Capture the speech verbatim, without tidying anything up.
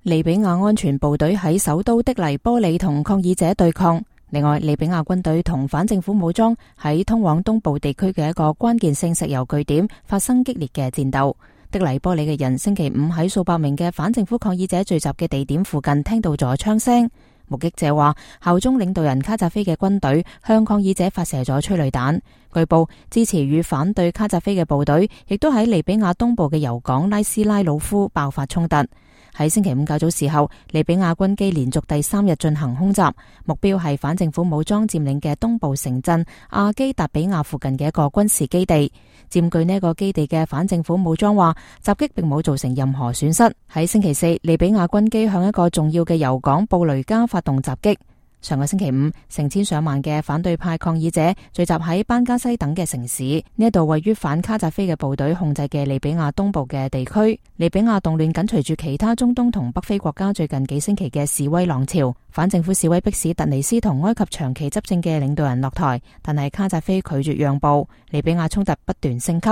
利比亞安全部隊喺首都的黎波里同抗議者對抗。另外，利比亞軍隊同反政府武裝喺通往東部地區嘅一個關鍵性石油據點發生激烈嘅戰鬥。的黎波里嘅人星期五喺數百名嘅反政府抗議者聚集嘅地點附近聽到咗槍聲。目擊者話，效忠領導人卡扎菲嘅軍隊向抗議者發射咗催淚彈。據報，支持與反對卡扎菲嘅部隊亦都喺利比亞東部嘅油港拉斯拉魯夫爆發衝突。喺星期五較早時候，利比亞軍機連續第三日進行空襲，目標係反政府武裝佔領嘅東部城鎮阿基達比亞附近嘅一個軍事基地。佔據呢個基地嘅反政府武裝話，襲擊並冇造成任何損失。喺星期四，利比亞軍機向一個重要嘅油港布雷加發動襲擊。上個星期五，成千上萬嘅反對派抗議者聚集喺班加西等嘅城市，呢一度位於反卡扎菲嘅部隊控制嘅利比亞東部嘅地區。利比亞動亂緊隨住其他中東同北非國家最近幾星期嘅示威浪潮，反政府示威迫使突尼斯同埃及長期執政嘅領導人落台，但係卡扎菲拒絕讓步，利比亞衝突不斷升級。